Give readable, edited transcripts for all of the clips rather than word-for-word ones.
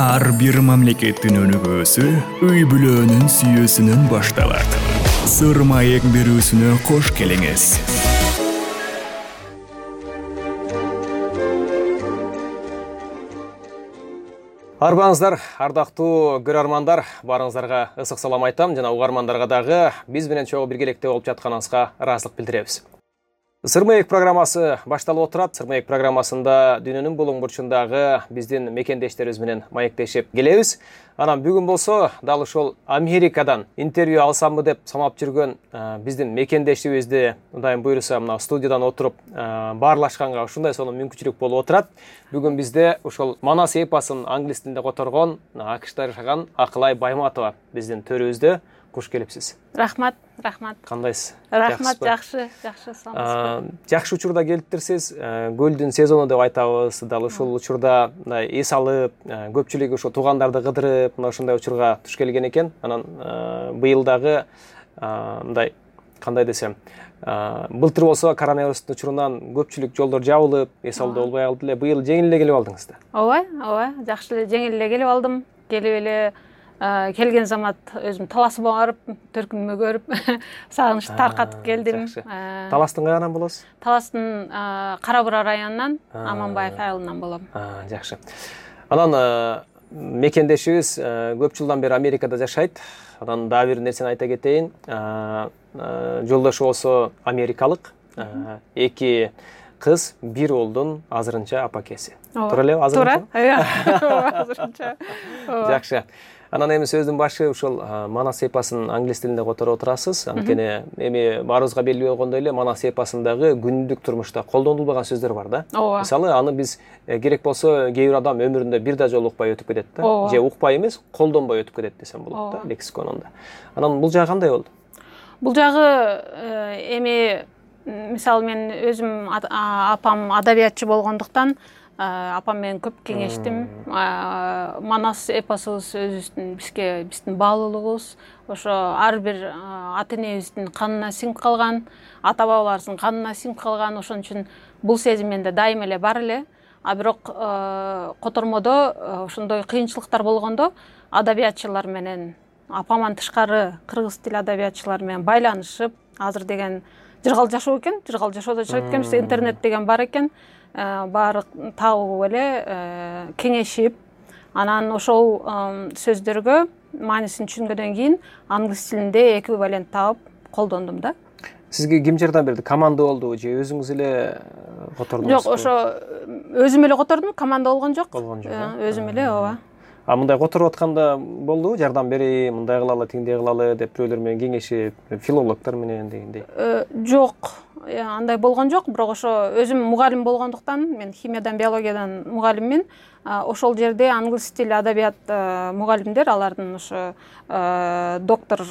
Ар бир мамлекеттин өнүгүүсү үй бүлөнүн сүйүүсүнөн башталат. Сыр маек берүүсүнө кош келиңиз. Арбаңыздар, ардактуу көрөрмандар, барыңыздарга ысык салам айтам жана угармандарга дагы биз менен чогуу биргеликте болуп жатканыңызга ыраазычылык билдиребиз. Сыр маек программасы башталып отурат. Сыр маек программасында дүйнөнүн булуң бурчундагы биздин мекендештерибиз менен маектешип келебиз. Анан бүгүн болсо дал ушул Америкадан интервью алсамбы деп санап жүргөн биздин мекендешибизди Кудайым буйруса мына студиядан отуруп баарлашканга ушундай сонун мүмкүнчүлүк болуп отурат. Бүгүн бизде ушул Манас эпосун англис тилинде которгон АКШда жашаган Акылай Байматова биздин төрүбүздө. Куш келипсиз. Рахмат. Кандайсыз? Рахмат, жакшы, саламатсызбы? Жакшы учурда келиптирсиз. Көлдүн сезону деп айтабыз. Дал ушул учурда мындай эс алып, көпчүлүк ошо туугандарды кыдырып, мына ушундай учурга туш келген экен. Анан быйыл дагы мындай кандай десем, былтыр болсо коронавирустун учурунан көпчүлүк жолдор жабылып, эс алуу болбой калды эле. Быйыл жеңил эле келип алдыңыз да. Ооба, жакшы эле жеңил эле келип алдым. Келип эле келген замат өзүм таласып барып, төркүнүмө көрүп, сагынычты таркатып келдим. Таластын кайынан болосуз? Таластын Кара Бура районунан, Аманбаев айылынан болом. Жакшы. Анан мекендешибиз көп жылдан бери Америкада жашайт. Анан дагы бир нерсени айта кетейин. Жолдошу болсо америкалык. 2 кыз, 1 уулдун азырынча апакеси. Туура элеби? Туура. Азырынча. Жакшы. Анан эми сөздүн башы ушул Манас эпосун англис тилинде которуп отурасыз. Анткени эми баарыбызга белгилүү болгондой эле Манас эпосундагы күндүк турмушта колдонулбаган сөздөр бар да. Мисалы, аны биз керек болсо кээ бир адам өмүрүндө бир да жолу укпай өтүп кетет да. Же укпай эмес, колдонбой өтүп кетет десем болот да, лексиконунда. Анан бул жагы кандай болду? Бул жагы эми мисалы мен өзүм апам адабиятчы болгондуктан апам менен көп кеңештим. Манас эпосубуз өзүбүздүн биздин баалуулугубуз, ошо ар бир ата энебиздин канына сиңип калган, ата бабаларыбыздын канына сиңип калган. Ошон үчүн бул сезим менде дайыма эле бар эле. А бирок котормодо ошондой кыйынчылыктар болгондо адабиятчылар менен, апаман тышкары кыргыз тил адабиятчылары менен байланышып, азыр деген жыргал жашоо экен, жыргал жашоодо жашайт экенбиз, интернет деген бар экен. Баары табып эле кеңешип, анан ошол сөздөргө маанисин түшүнгөндөн кийин англис тилинде эквивалент табып колдондум да. Сизге ким жардам берди? Команда болдубу же өзүңүз эле котордуңуз? Жок, ошо өзүм эле котордум, команда болгон жок. Өзүм эле, ооба. Мындай которуп атканда болдубу? Жардам берейин, мындай кылалы, тиңдей кылалы деп бирөөлөр менен кеңешип, филологдор менен дегендей. Жок, андай болгон жок, бирок ошо өзүм мугалим болгондуктан, мен химиядан, биологиядан мугалиммин. Ошол жерде англис тил адабият мугалимдер, алардын ошо доктор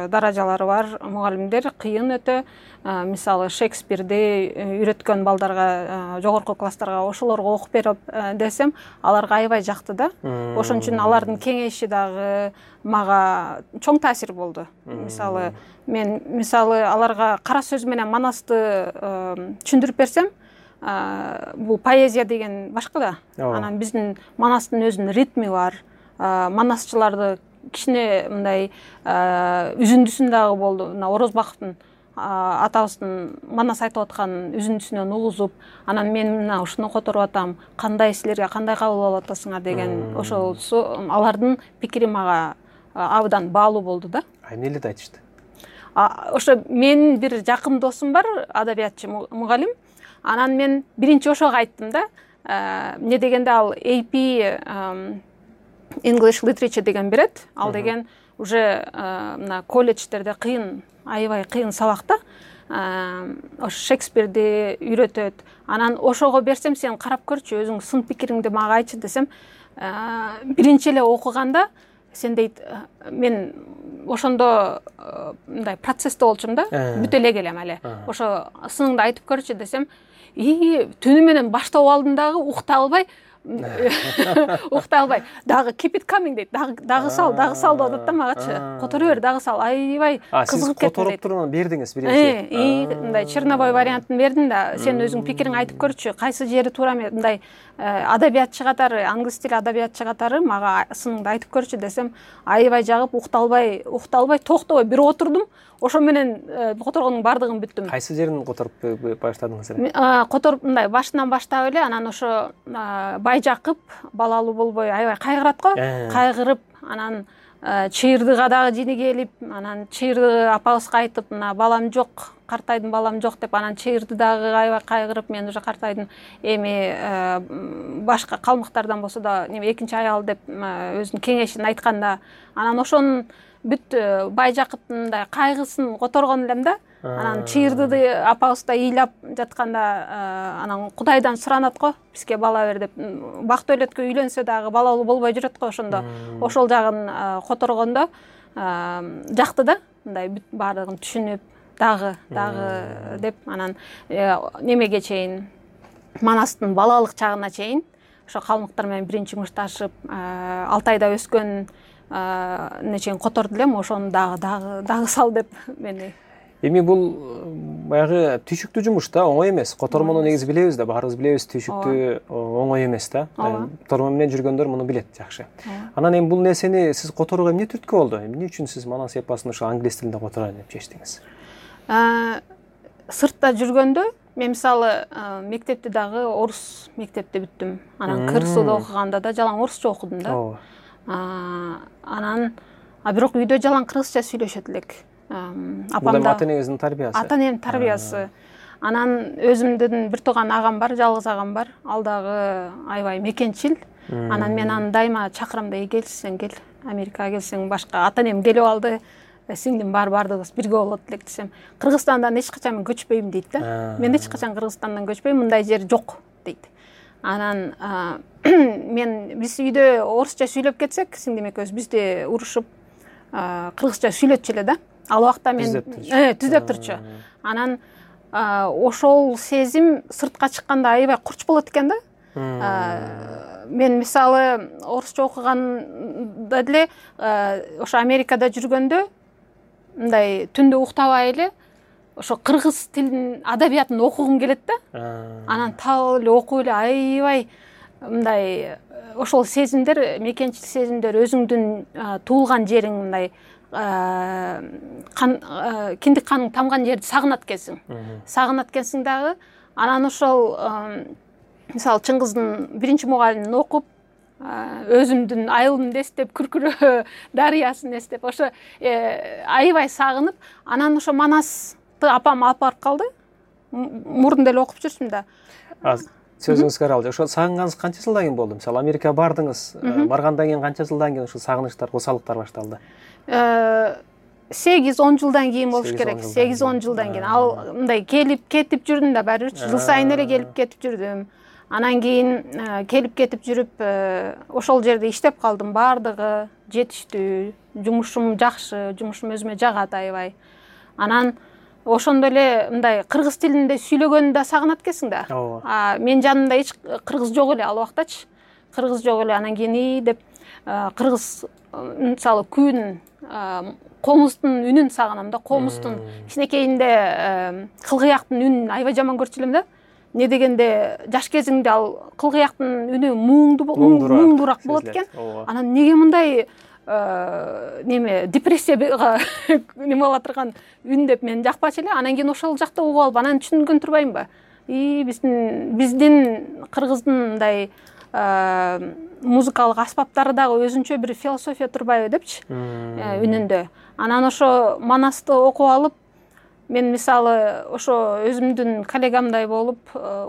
даражалары бар мугалимдер кыйын өтө. Мисалы, Шекспирди үйрөткөн балдарга, жогорку класстарга ошолорго окуп берип десем, аларга аябай жакты да. Ошон үчүн алардын кеңеши дагы мага чоң таасир болду. Мисалы, мен аларга кара сөз менен Манасты түшүндүрүп берсем, бул поэзия деген башка да. Анан биздин Манастын өзүнүн ритми бар. Манасчыларды кичине мындай үзүндүсүн дагы болду. Мына Орозбаковдун атабыздын Манас айтып аткан үзүндүсүнөн угузуп, анан мен мына ушуну которуп атам, кандай силерге кандай кабыл алып атасыңар деген ошол алардын пикири мага абдан баалуу болду да. Эмне деп айтышты? Ошо менин бир жакын досум бар, адабиятчы мугалим. Анан мен биринчи ошого айттым да. Эмне дегенде ал AP English Literature деген берет. Ал деген уже мына колледждерде кыйын, аябай кыйын сабак да. Ошо Шекспирди үйрөтөт. Анан ошого берсем, сен карап көрчү, өзүң сын пикириңди мага айтчы десем, биринчи эле окуганда сен дейт, мен ошондо мындай процессте болчумун да, бүтө эле келем эле. Ошо сыныңды айтып көрчү десем, түнү менен баштап алдым дагы, укта албай, уктай албай дагы keep it coming дейт, дагы сал деп атат да магачы. Которо бер, дагы сал. Аябай кызыгып кеттим дейт. Которуп туруп бердиңиз биринчи. Мындай чернобой вариантын бердим да, сен өзүң пикириңди айтып көрчү, кайсы жери туура эмес, мындай адабиятчы катары, англис тили адабиятчы катары мага сыныңды айтып көрчү десем, аябай жагып укта албай токтобой бир отурдум. Ошо менен которгондун бардыгын бүттүм. Кайсы жерин которуп баштадыңыз эле? Которуп мындай башынан баштап эле, анан ошо байжакып, балалуу болбой аябай кайгырат го. Кайгырып, анан чыйырдыга дагы жини келип, анан чыйырды апабызга айтып, мына балам жок, картайдым балам жок деп, анан чыйырды дагы аябай кайгырып, мен уже картайдым, эми башка калмыктардан болсо да неме экинчи аял деп өзүнүн кеңешин айтканда, анан ошонун бүт байжакыптын мындай кайгысын которгон элем да. Анан чыйырды апабыз да ыйлап жатканда, анан Кудайдан суранат го, бизге бала бер деп. Бакты өлөткө үйлөнсө дагы балалуу болбой жүрөт го ошондо. Ошол жагын которгондо жакты да, мындай бүт баардыгын түшүнүп, дагы деп, анан немеге чейин, Манастын балалык чагына чейин ошо калмыктар менен биринчи мушташып, Алтайда өскөн чейин которду элем, ошону дагы сал деп мени. Эми бул баягы түйшүктүү жумуш да, оңой эмес. Котормону негизи билебиз да, баарыбыз билебиз, түйшүктүү оңой эмес да. Котормон менен жүргөндөр муну билет жакшы. Анан эми бул нерсени сиз которууга эмне түрткү болду? Эмне үчүн сиз Манас эпосун ошо англис тилинде котороюн деп чечтиңиз? Сыртта жүргөндө мен мисалы мектепти дагы орус мектепте бүттүм. Анан КРСУда окуганда да жалаң орусча окудум да. Анан бирок үйдө жалаң кыргызча сүйлөшөт элек. Апам да ата-энеңиздин тарбиясы. Ата-энемдин тарбиясы. Анан өзүмдүн бир тууган агам бар, жалгыз агам бар. Ал дагы аябай мекенчил. Анан мен аны дайыма чакырам да, келсең кел, Америкага келсең башка. Ата-энем келип алды. Сиңдим бардыгыбыз бирге болот элек десем, Кыргызстандан эч качан мен көчпөйм дейт да. Мен эч качан Кыргызстандан көчпөйм, мындай жер жок дейт. Анан биз үйдө орусча сүйлөп кетсек, сиңдим экөөбүз бизди урушуп кыргызча сүйлөтчү эле да. Ал убакта мен түзөп турчу. Анан ошол сезим сыртка чыкканда аябай курч болот экен да. Мен мисалы орусча окуганда деле ошо Америкада жүргөндө мындай түндө уктабай эле ошо кыргыз тилинин адабиятын окугум келет да. Анан табып эле окуп эле аябай мындай ошол сезимдер, мекенчил сезимдер, өзүңдүн туулган жериң, мындай киндик каның тамган жерди сагынат экенсиң дагы. Анан ошол мисалы Чыңгыздын биринчи мугалимин окуп, өзүмдүн айылымды эстеп, Күркүрөө дарыясын эстеп, ошо аябай сагынып, анан ошо Манасты апам алып барып калды. Мурдун деле окуп жүрсүм да. Сөзүңүзгө аралжы. Ошо сагынганыңыз канча жылдан кийин болду? Мисалы Америкага бардыңыз, баргандан кийин канча жылдан кийин ушул сагынычтар, косалыктар башталды? 8-10 жылдан кийин болуш керек. 8-10 жылдан кийин. Ал мындай келип кетип жүрдүм да, баары бир жыл сайын эле келип кетип жүрдүм. Анан кийин келип кетип жүрүп, ошол жерде иштеп калдым. Баардыгы жетиштүү, жумушум жакшы, жумушум өзүмө жагат аябай. Анан ошондо эле мындай кыргыз тилинде сүйлөгөндү да сагынат экенсиң да. Мен жанымда эч кыргыз жок эле ал убактачы. Кыргыз жок эле. Анан кийин деп кыргыз мисалы күн, комуздун үнүн сагынам да. Комуздун кичинекейинде кылгыяктын үнүн аябай жаман көрчү элем да. Не дегенде жаш кезиңде ал кылгыяктын үнү муңдуураак болот экен. Анан неге мындай депрессияга неме боло турган үн деп мен жакпачу эле. Анан кийин ошол жакта угуп алып, анан түшүнгөн турбаймынбы? Биздин кыргыздын мындай музыкалык аспаптары дагы өзүнчө бир философия турбайбы депчи үнүндө. Анан ошо Манасты окуп алып, мен мисалы ошо өзүмдүн коллегамдай болуп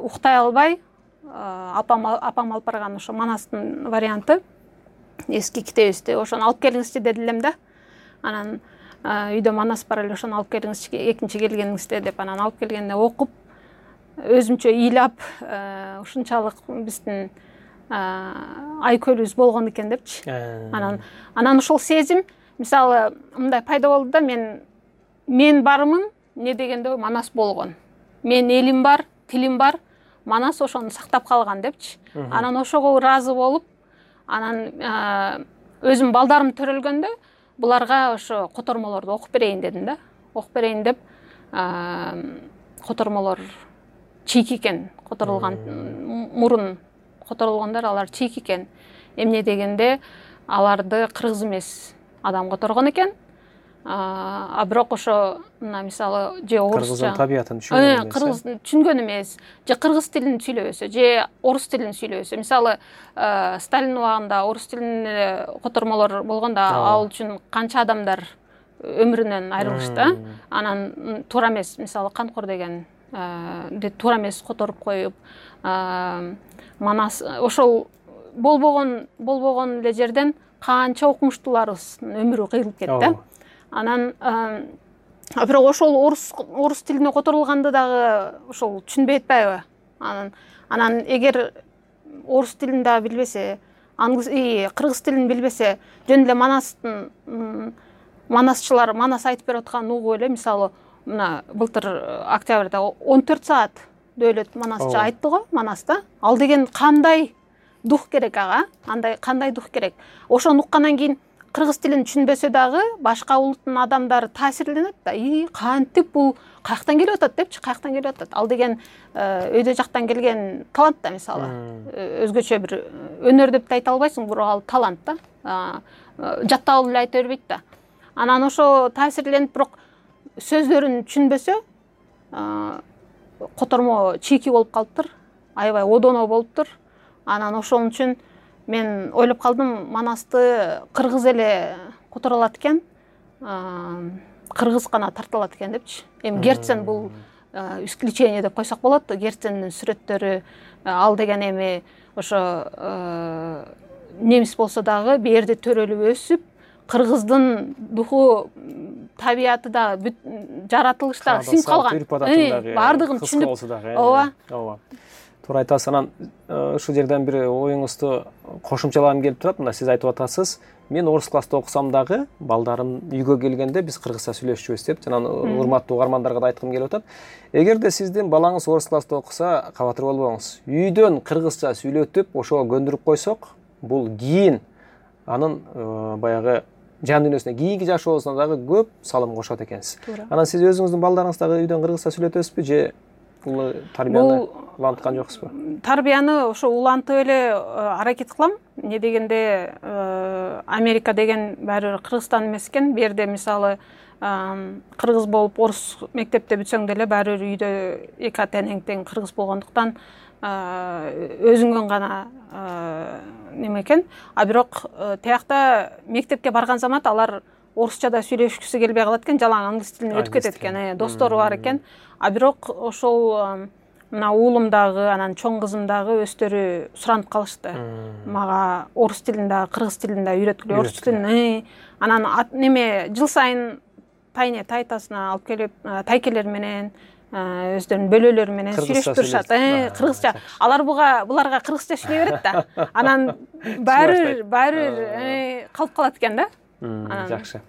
уктай албай, апам алып барган ошо Манастын варианты эски китебибизди, ошону алып келиңизчи деди элем да. Анан үйдө Манас бар эле, ошону алып келиңизчи экинчи келгениңизде деп, анан алып келгенде окуп, өзүмчө ыйлап, ушунчалык биздин айкөлүбүз болгон экен депчи. Анан ошол сезим мисалы мындай пайда болду да, мен бармын, не дегенде Манас болгон. Мен элим бар, тилим бар, Манас ошону сактап калган депчи. Анан ошого ыраазы болуп, анан өзүм балдарым төрөлгөндө буларга ошо котормолорду окуп берейин дедим да. Окуп берейин деп котормолор чийки экен, которулган мурун которулгандар алар чийки экен. Эмне дегенде аларды кыргыз эмес адам которгон экен. Бирок ошо мына мисалы же орусча кыргыздын табиятын түшүнгөн эмес. Кыргыз түшүнгөн эмес, же кыргыз тилин сүйлөбөсө, же орус тилин сүйлөбөсө. Мисалы Сталин убагында орус тилин котормолор болгондо ал үчүн канча адамдар өмүрүнөн айрылышты. Анан туура эмес, мисалы Канкор деген туура эмес которуп коюп, Манас ошол болбогон эле жерден канча окумуштууларыбыздын өмүрү кыйылып кетти. Анан бирок ошол орус тилине которулганды дагы ошол түшүнбөй атпайбы? Анан эгер орус тилин да билбесе, кыргыз тилин билбесе, жөн эле манасчылар Манас айтып берип атканын угуп эле, мисалы мына былтыр октябрда 14 саат дөөлөт манасчы айтты го Манаста. Ал деген кандай дух керек ага? Кандай дух керек? Ошону уккандан кийин кыргыз тилин түшүнбөсө дагы башка улуттун адамдары таасирленет да. Кантип бул каяктан келип атат депчи, каяктан келип атат. Ал деген өйдө жактан келген талант да, мисалы. Өзгөчө бир өнөр деп айта албайсың, бирок ал талант да. Жаттап алып эле айта бербейт да. Анан ошо таасирленип, бирок сөздөрүн түшүнбөсө, котормо чийки болуп калыптыр. Аябай одоно болуптур. Анан ошон үчүн мен ойлоп калдым, Манасты кыргыз эле которулат экен, кыргыз гана тартылат экен депчи. Эми Герцен бул исключение деп койсок болот. Герцендин сүрөттөрү, ал деген эми ошо немис болсо дагы берде төрөлүп өсүп, кыргыздын духу, табияты да, жаратылышы да сиңип калган. Бардыгын түшүнүп. Ооба. Туура айтасыз. Анан ушул жерден бир оюңузду кошумчалагым келип турат. Мына сиз айтып атасыз, мен орус класста окусам дагы балдарым үйгө келгенде биз кыргызча сүйлөшчүбүз деп. Жана урматтуу угармандарга да айткым келип атат. Эгерде сиздин балаңыз орус класста окуса, кабатыр болбоңуз. Үйдөн кыргызча сүйлөтүп, ошого көндүрүп койсок, бул кийин анын баягы жан дүйнөсүнө, кийинки жашоосуна дагы көп салым кошот экенсиз. Анан сиз өзүңүздүн балдарыңызды дагы үйдөн кыргызча сүйлөтөсүзбү, же бул тарбияны уланткан жоксузбу? Тарбияны ошо улантып эле аракет кылам. Эмне дегенде Америка деген баары бир Кыргызстан эмес экен. Бу жерде мисалы кыргыз болуп орус мектепте бүтсөң деле баары бир үйдө эки тең тең кыргыз болгондуктан өзүңөн гана неме экен. Бирок тиякта мектепке барган замат алар орусчада сүйлөшкүсү келбей калат экен, жалаң англис тилине өтүп кетет экен. Достору бар экен. Бирок ошол мына уулум дагы, анан чоң кызым дагы өздөрү суранып калышты. Мага орус тилин да, кыргыз тилин да үйрөткүлө, орус тилин. Анан неме жыл сайын тайне тайтасына алып келип, тайкелер менен өздөрүнүн бөлөлөрү менен сүйлөшүп турушат. Кыргызча. Алар буларга кыргызча сүйлөй берет да. Анан баары калып калат экен да. Жакшы.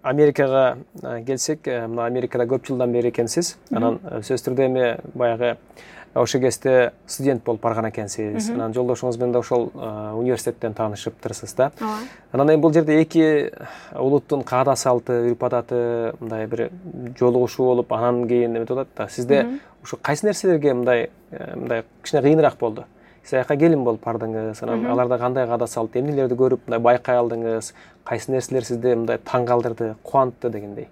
Америкага келсек, мына Америкада көп жылдан бери экенсиз. Анан сөзсүз түрдө эми баягы ошо кезде студент болуп барган экенсиз. Анан жолдошуңуз менен да ошол университеттен таанышыптырсыз да. Анан эми бул жерде эки улуттун каада салты, үрп адаты мындай бир жолугушуу болуп, анан кийин эметип атат да. Сизде ушу кайсы нерселерге мындай кичине кыйыныраак болду? Сиз аяка келин болуп бардыңыз, анан аларда кандай каада салт, эмнелерди көрүп мындай байкай алдыңыз? Кайсы нерселер сизди мындай таң калтырды, кубантты дегендей?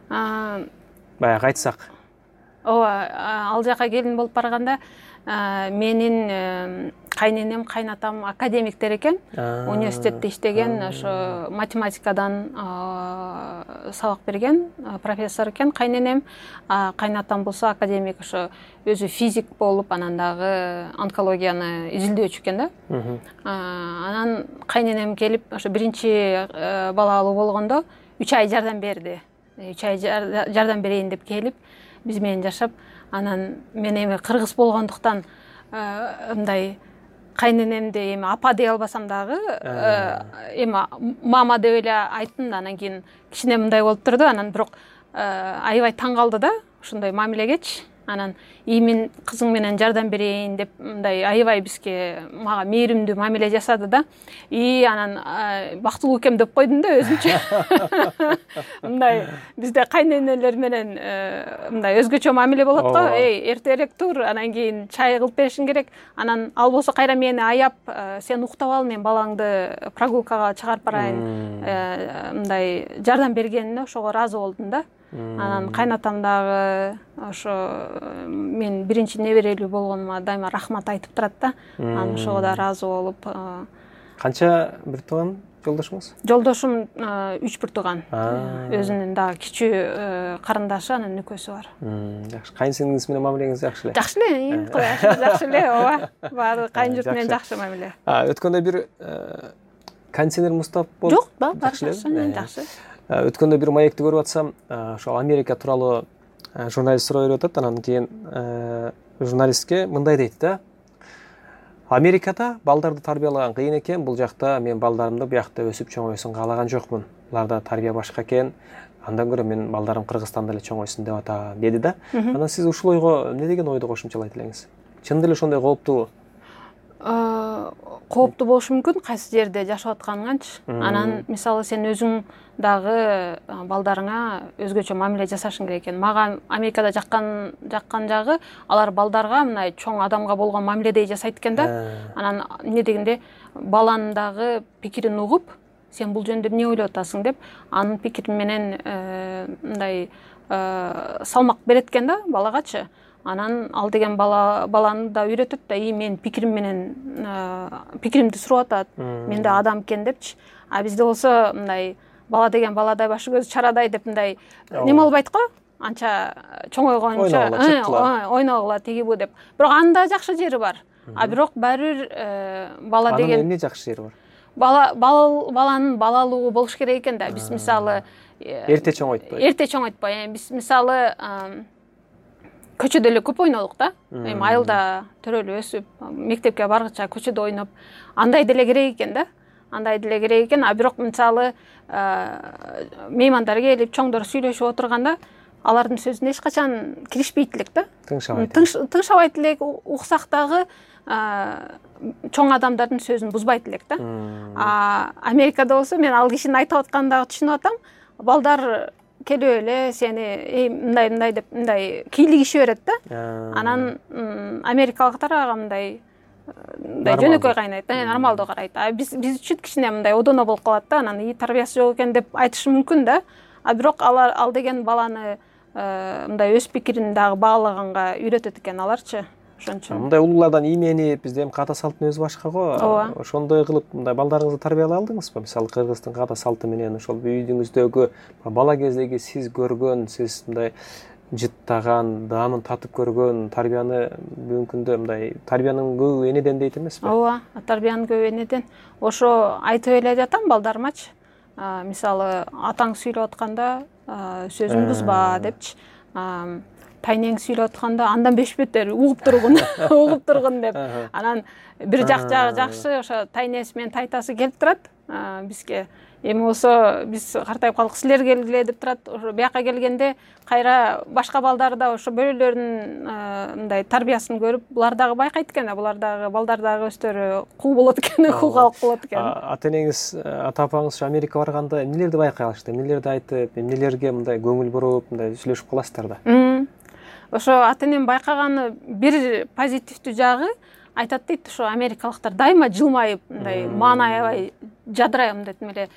Баягы айтсак. Ооба, ал жака келин болуп барганда менин кайненем, кайнатам академиктер экен. Университетте иштеген, ошо математикадан сабак берген профессор экен кайненем. Кайнатам болсо академик, ошо өзү физик болуп, анан дагы онкологияны изилдөөчү экен да. Анан кайненем келип, ошо биринчи балалуу болгондо 3 ай жардам берди. 3 ай жардам берейин деп келип, биз менен жашап, анан мен эми кыргыз болгондуктан мындай кайненемди эми апа дей албасам дагы эми мама деп эле айттым да. Анан кийин кичине мындай болуп турду. Анан бирок аябай таң калды да ушундай мамилегечи. анан мен кызың менен жардам берейин деп мындай аябай бизге мага мээримдүү мамиле жасады да. Анан бактылуу экем деп койдум да өзүмчө. Мындай бизде кайненелер менен мындай өзгөчө мамиле болот го. Эртерээк тур, анан кийин чай кылып беришиң керек. Анан ал болсо кайра мени аяп, сен уктап ал, мен балаңды прогулкага чыгарып барайын. Мындай жардам бергенине ошого ыраазы болдум да. Анан кайнатам дагы ошо мен биринчи неберелүү болгонума дайыма рахмат айтып турат да. Анан ошого да ыраазы болуп. Канча бир тууган жолдошуңуз? Жолдошум 3 бир тууган. Өзүнүн дагы кичүү карындашы, анан нүкөсү бар. Жакшы. Кайынсиңиңиз менен мамилеңиз жакшы эле? Жакшы эле, жакшы эле, ооба. Баары кайын журт менен жакшы мамиле. Өткөндө бир кондиционер муздап болду? Жок, жакшы. Өткөндө бир маекти көрүп атсам, ошол Америка тууралуу журналист суроо берип атат. Анан кийин журналистке мындай дейт да: Америкада балдарды тарбиялаган кыйын экен, бул жакта мен балдарымды буякта өсүп чоңойсун каалаган жокмун. Буларда тарбия башка экен. Андан көрө мен балдарым Кыргызстанда эле чоңойсун деп атам, деди да. Анан сиз ушул ойго эмне деген ойду кошумчалайт элеңиз? Чын деле ошондой кооптуу? Кооптуу болушу мүмкүн, кайсы жерде жашап атканыңанчы. Анан мисалы сен өзүң дагы балдарыңа өзгөчө мамиле жасашың керек экен. Мага Америкада жаккан жагы алар балдарга мындай чоң адамга болгон мамиледей жасайт экен да. Анан эмне дегенде баланын дагы пикирин угуп, сен бул жөнүндө эмне ойлоп атасың деп, анын пикири менен мындай салмак берет экен да балагачы. Анан ал деген баланы да үйрөтөт да, мен пикирим менен пикиримди сурап атат, мен да адам экен депчи. А бизде болсо мындай бала деген баладай, башы көзү чарадай деп мындай неме албайт го, анча чоңойгончо ойногула тиги бу деп. Бирок анын да жакшы жери бар. А бирок баары бир бала деген эмне жакшы жери бар? Баланын балалыгы болуш керек экен да. Биз мисалы эрте чоңойтпой. Биз мисалы көчөдө эле көп ойнодук да. Айылда төрөлүп өсүп, мектепке баргыча көчөдө ойноп, андай деле керек экен да. А бирок мисалы меймандар келип, чоңдор сүйлөшүп отурганда, алардын сөзүнө эч качан киришпейт элек да. Тыңшабайт элек, уксак дагы чоң адамдардын сөзүн бузбайт элек да. Америкада болсо мен ал кишинин айтып атканын дагы түшүнүп атам. Балдар келип эле сени мындай деп мындай кийлигише берет да. Анан америкалыктар ага мындай жөнөкөй кайнайт, нормалдуу карайт. Биз үчүн кичине мындай одоно болуп калат да. Анан тарбиясы жок экен деп айтышы мүмкүн да. А бирок ал деген баланы мындай өз пикирин дагы баалаганга үйрөтөт экен аларчы. Ошончо. Мындай улуулардан ийменип, бизде эми ката салттын өзү башка го. Ошондой кылып мындай балдарыңызды тарбиялай алдыңызбы? Мисалы Кыргыздын ката салты менен ошол үйдүңүздөгү бала кездеги сиз көргөн, сиз мындай жыттаган, даамын татып көргөн тарбияны бүгүнкү күндө мындай тарбиянын көбү энеден дейт эмеспи? Ооба, тарбиянын көбү энеден. Ошо айтып эле жатам балдарымачы. Мисалы атаң сүйлөп атканда сөзүн бузба депчи. Тайнең сүйлөп атканда андан бешбеттер угуп тургун деп. Анан бир жагы жакшы, ошо тайнеси менен тайтасы келип турат бизге. Эми болсо биз картайып калдык, силер келгиле деп турат. Ошо бияка келгенде кайра башка балдар да ошо бөлөлөрүнүн мындай тарбиясын көрүп, булар дагы байкайт экен да, булар дагы балдар дагы өздөрү кул болот экен, кул калк болот экен. Ата-энеңиз, ата-апаңыз Америкага барганда эмнелерди байкай алышты? Эмнелерди айтып, эмнелерге мындай көңүл буруп, мындай сүйлөшүп каласыздар да? Ошо ата-энем байкаганы бир позитивдүү жагы, айтат дейт, ошо америкалыктар дайыма жылмайып, мындай маанайбай жадырайм мындай эле.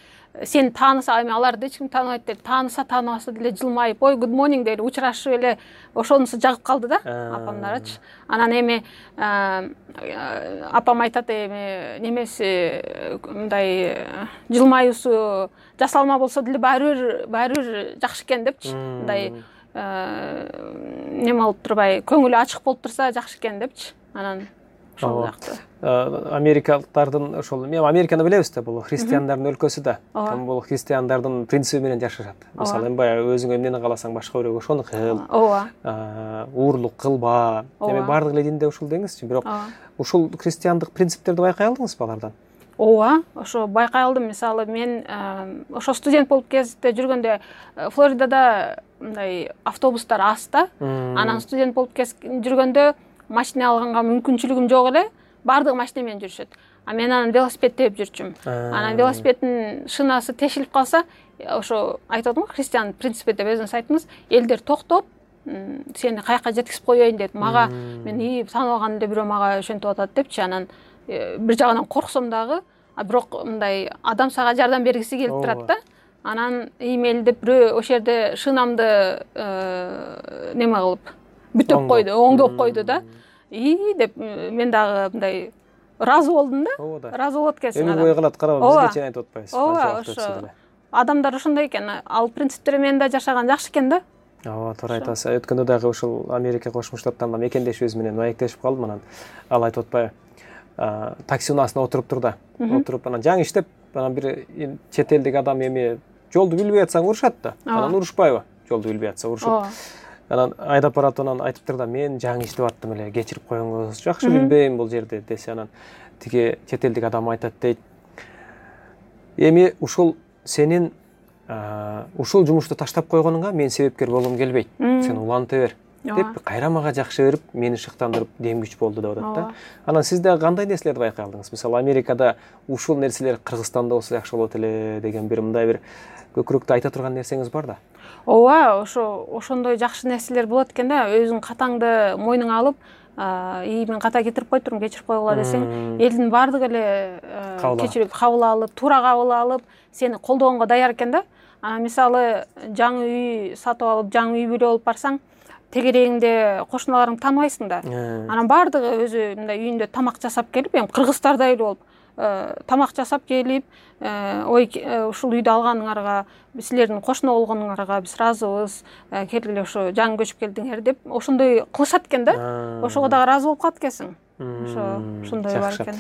Сени тааныса, эми аларды эч ким тааныбайт деле, тааныбаса деле жылмайып, ой, good morning деле учурашып эле ошонусу жагып калды да, апамдарчы. Анан эми апам айтат, эми немеси мындай жылмаюусу жасалма болсо деле баары бир жакшы экен депчи. Мындай неме болуп турбай, көңүлү ачык болуп турса жакшы экен депчи. Анан ошол жакты. Америкалыктардын ошол, эми Американы билебиз да, бул христиандардын өлкөсү да. Бул христиандардын принциби менен жашашат. Мисалы, эми баягы өзүң эмнени кааласаң башка бирөөгө ошону кыл. Уурлук кылба. Эми баардык эле динде ушул деңизчи, бирок ушул христиандык принциптерди байкай алдыңызбы алардан? ооба, ошо байкай алдым. Мисалы мен ошо студент болуп кезде жүргөндө Флоридада мындай автобустар аз да. Анан студент болуп жүргөндө машина алганга мүмкүнчүлүгүм жок эле. Бардыгы машина менен жүрүшөт. А мен анан велосипед теуп жүрчүмүн. Анан велосипеддин шинасы тешилип калса, ошо айтып атам го, христиан принципи деп өзүңүз айттыңыз, элдер токтоп, сени каяка жеткизип коеюн дейт. Мага мен тааныбаган эле бирөө мага ошентип атат депчи. Анан бир жагынан корксом дагы, бирок мындай адам сага жардам бергиси келип турат да. Анан мелдеп бирөө ошол жерде шинамды неме кылып бүтөп койду, оңдоп койду да. Деп мен дагы мындай ыраазы болдум да. Ыраазы болот экенсиң. Эми бой калат, караба, бизге чейин айтып атпайбыз. Ооба, ошо адамдар ошондой экен. Ал принциптер менен да жашаган жакшы экен да. Ооба, туура айтасыз. Өткөндө дагы ушул Америка Кошмо Штаттарында мекендешибиз менен маектешип калдым. Анан ал айтып атпайбы, такси унаасына отуруптур да. Отуруп анан жаңы иштеп, анан бир чет элдик адам эми жолду билбей атсаң урушат да. Анан урушпайбы? Жолду билбей атса урушуп. Анан айдап барат, анан айтыптыр да, мен жаңы иштеп аттым эле, кечирип коюңуз, жакшы билбейм бул жерде десе. Анан тиги чет элдик адам айтат дейт, эми ушул сенин ушул жумушту таштап койгонуңа мен себепкер болгум келбейт. Сен уланта бер деп кайра мага жакшы берип, мени шыктандырып, дем күч болду деп атат да. Анан сиз дагы кандай нерселерди байкай алдыңыз? Мисалы, Америкада ушул нерселер Кыргызстанда болсо жакшы болот эле деген бир мындай бир көкүрөктү айта турган нерсеңиз бар да? Ооба, ошондой жакшы нерселер болот экен да. Өзүң катаңды мойнуңа алып, мен ката кетирип койдум, кечирип койгула десең, элдин баардыгы эле кечирип кабыл алып, туура кабыл алып, сени колдогонго даяр экен да. Мисалы, жаңы үй сатып алып, жаңы үй бүлө болуп барсаң, тегерегиңде кошуналарыңды тааныбайсың да. Анан баардыгы өзү мындай үйүндө тамак жасап келип, эми кыргыздардай эле болуп, тамак жасап келип, ушул үйдү алганыңарга, силердин кошуна болгонуңарга биз ыраазыбыз, келгиле ошо жаңы көчүп келдиңер деп ошондой кылышат экен да. Ошого дагы ыраазы болуп калат экенсиң. Ошондой бар экен.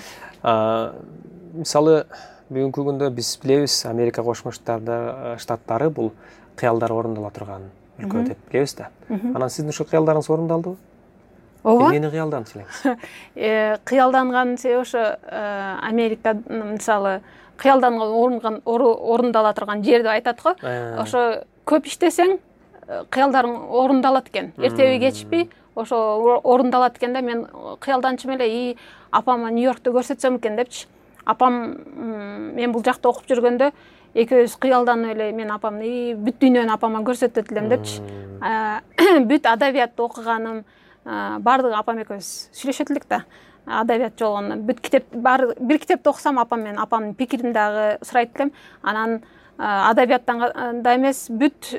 Мисалы, бүгүнкү күндө биз билебиз, Америка Кошмо Штаттары бул кыялдар орундала турган өлкө деп билебиз да. Анан сиздин ушул кыялдарыңыз орундалдыбы? Ооба. Эмнени кыялданчу элеңиз? Кыялданган ошо Америка, мисалы, кыялданган орундала турган жер деп айтат го. Ошо көп иштесең, кыялдарың орундалат экен. Эртеби кечпи ошо орундалат экен да. Мен кыялданчым эле, апама Нью-Йоркто көрсөтсөм экен депчи. Апам мен бул жакта окуп жүргөндө экөөбүз кыялданып эле, мен апамды бүт дүйнөнү апама көрсөтөт элем депчи. Бүт адабиятты окуганым, баардыгы апам экөөбүз сүйлөшөт элек да. Адабият жолгондон бүт китеп, бир китепти окусам, апамдын пикирин дагы сурайт элем. Анан адабияттан да эмес, бүт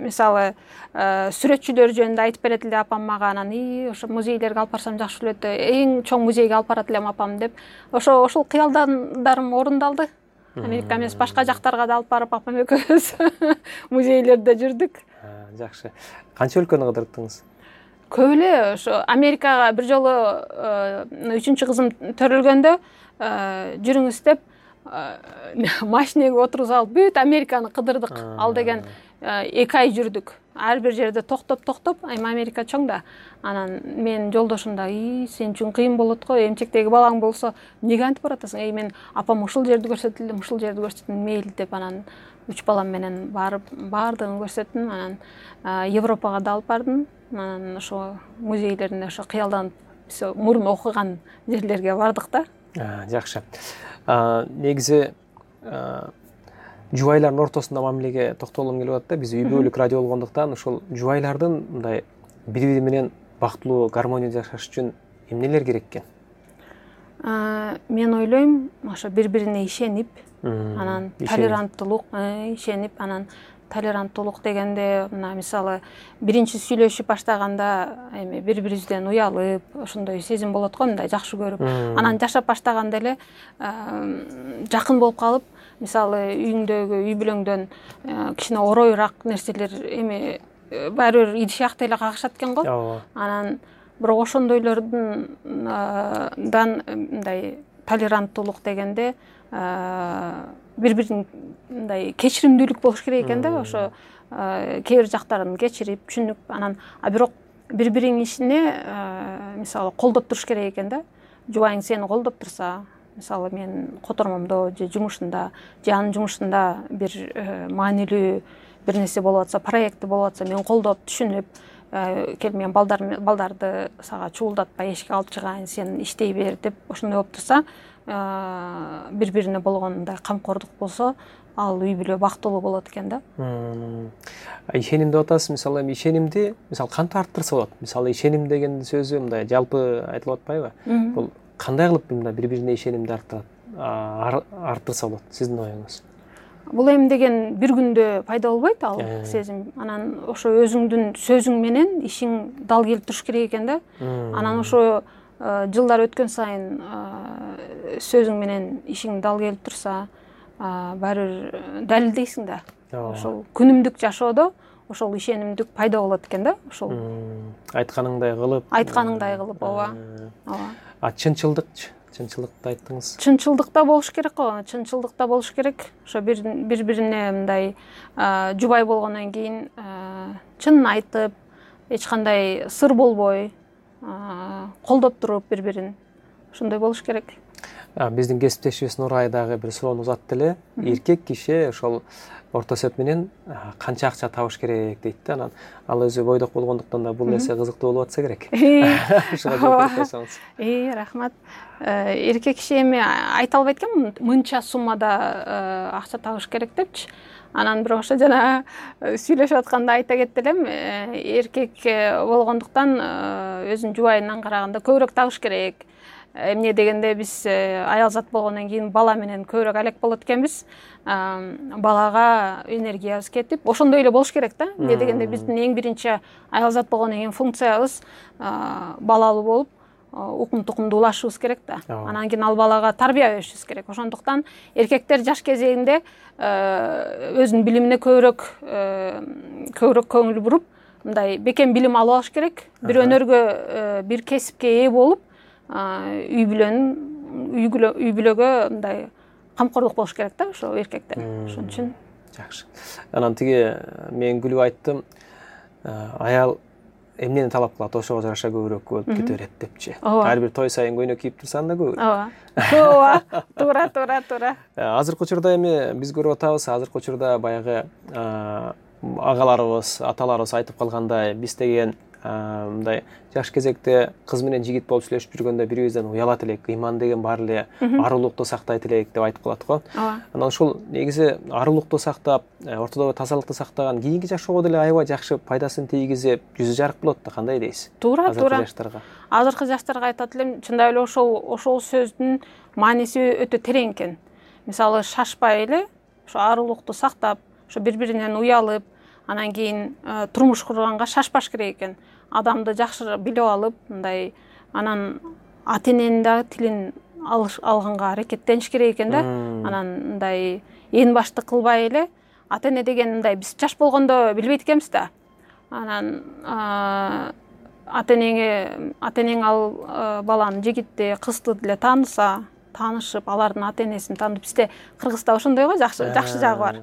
мисалы сүрөтчүлөр жөнүндө айтып берет эле апам мага. Анан ошо музейлерге алып барсам жакшы болот, эң чоң музейге алып барат элем апам деп. Ошол кыялдандарым орундалды. Америка эмес, башка жактарга да алып барып апам экөөбүз музейлерде жүрдүк. Жакшы. Канча өлкөнү кыдырттыңыз? Көп эле. Ошо Америкага бир жолу 3-чү кызым төрөлгөндө жүрүңүз деп машинеге отургузуп алып бүт Американы кыдырдык. Ал деген 2 ай жүрдүк. Ар бир жерде токтоп, эми Америка чоң да. Анан мен жолдошум да, сен үчүн кыйын болот го, эмчектеги балаң болсо эмнеге антип баратасың? Мен апам ушул жерди көрсөтүлдүм, ушул жерди көрсөтүлдүм, мейли деп. Анан 3 балам менен барып, баардыгын көрсөттүм. Анан Европага да алып бардым. Анан ошо музейлеринде ошо кыялданып, биз мурун окуган жерлерге бардык да. Жакшы. Негизи жубайлардын ортосунда мамилеге токтолгум келип атат да. Биз үй бүлөлүк радио болгондуктан ушул жубайлардын мындай бири-бири менен бактылуу гармония жашаш үчүн эмнелер керек экен? Мен ойлойм, ошо бири-бирине ишенип, анан толеранттуулук, ишенип, анан толеранттуулук дегенде, мына мисалы, биринчи сүйлөшүп баштаганда эми бири-бирибизден уялып, ошондой сезим болот го, мындай жакшы көрүп, анан жашап баштаганда эле жакын болуп калып, мисалы, үйүңдөгү, үй бүлөңдөн кичине ороюраак нерселер эми баары бир идиш акты эле кагышат экен го. Анан бирок ошондойлордун мындай толеранттуулук дегенде бири-бирин мындай кечиримдүүлүк болуш керек экен да. Ошо кээ бир жактарын кечирип, түшүнүп, анан бирок бири-бириңин ишине мисалы колдоп туруш керек экен да. Жубайың сени колдоп турса, мисалы мен котормомдо же жумушунда же анын жумушунда бир маанилүү бир нерсе болуп атса, проекти болуп атса, мен колдоп түшүнүп, кел мен балдарды сага чуулдатпай эшикке алып чыгайын, сен иштей бер деп ошондой болуп турса, бири-бирине болгондой камкордук болсо, ал үй бүлө бактылуу болот экен да. Ишеним деп атасыз. Мисалы эми ишенимди мисалы кантип арттырса болот? Мисалы ишеним деген сөзү мындай жалпы айтылып атпайбы? Бул кандай кылып мындай бири-бирине ишенимди арттырса болот сиздин оюңуз? Бул эми деген бир күндө пайда болбойт ал сезим. Анан ошо өзүңдүн сөзүң менен ишиң дал келип туруш керек экен да. Анан ошо жылдар өткөн сайын сөзүң менен ишиң дал келип турса, баары далилдейсиң да. Ошол күнүмдүк жашоодо ошол ишенимдик пайда болот экен да. Ошол айтканыңдай кылып, ооба. Чынчылыкты айттыңыз. Чынчылдыкта болуш керек го. Чынчылдыкта болуш керек. Ошо бири-бирине мындай жубай болгондон кийин чынын айтып, эч кандай сыр болбой, колдоп туруп бири-бирин. Ошондой болуш керек. Биздин кесиптешибиз Нурай дагы бир суроону узатты эле. Эркек киши ошол орто эсеп менен канча акча табыш керек дейт да. Анан ал өзү бойдок болгондуктан да бул нерсе кызыктуу болуп атса керек. Ошого жооп берсеңиз. Рахмат. Эркек киши эми айта албайт экен мынча суммада акча табыш керек депчи. Анан бирок ошо жана сүйлөшүп атканда айта кетти элем, эркек болгондуктан өзүнүн жубайынан караганда көбүрөөк табыш керек. Эмне дегенде биз аял зат болгондон кийин бала менен көбүрөөк алек болот экенбиз. Балага энергиябыз кетип, ошондой эле болуш керек да. Эмне дегенде биздин эң биринчи аял зат болгондон кийин функциябыз балалуу болуп, укум-тукумду улашыбыз керек да. Анан кийин ал балага тарбия беришибиз керек. Ошондуктан эркектер жаш кезегинде өзүнүн билимине көбүрөөк көңүл буруп, мындай бекем билим алып алыш керек. Бир өнөргө, бир кесипке ээ болуп, үй бүлөгө мындай камкордук болуш керек да, ошо эркектер. Ошон үчүн жакшы. Анан тиги мен күлүп айттым, аял эмнени талап кылат, ошого жараша көбүрөөк болуп кете берет депчи. Ар бир той сайын көйнөк кийип турсаң да көбүрөөк. Ооба, туура. Азыркы учурда эми биз көрүп атабыз, азыркы учурда баягы агаларыбыз, аталарыбыз айтып калгандай, биз деген мындай жаш кезекте кыз менен жигит болуп сүйлөшүп жүргөндө бирибизден уялат элек, ыйман деген бар эле, арулукту сактайт элек деп айтып калат го. Анан ушул негизи арулукту сактап, ортодогу тазалыкты сактаган кийинки жашоого деле аябай жакшы пайдасын тийгизип, жүзү жарык болот да, кандай дейсиз? Туура. Азыркы жаштарга айтат элем, чындап эле ошол сөздүн мааниси өтө терең экен. Мисалы шашпай эле, ошо арулукту сактап, ошо бири-биринен уялып, анан кийин турмуш курганга шашпаш керек экен. Адамды жакшы билип алып, мындай анан ата-эненин дагы тилин алганга аракеттениш керек экен да. Анан мындай ээн башты кылбай эле, ата-эне деген мындай биз жаш болгондо билбейт экенбиз да. Анан ата-энең ал баланы, жигитти, кызды деле таанышып, алардын ата-энесин таанып, бизде Кыргызда ошондой го, жакшы жагы бар.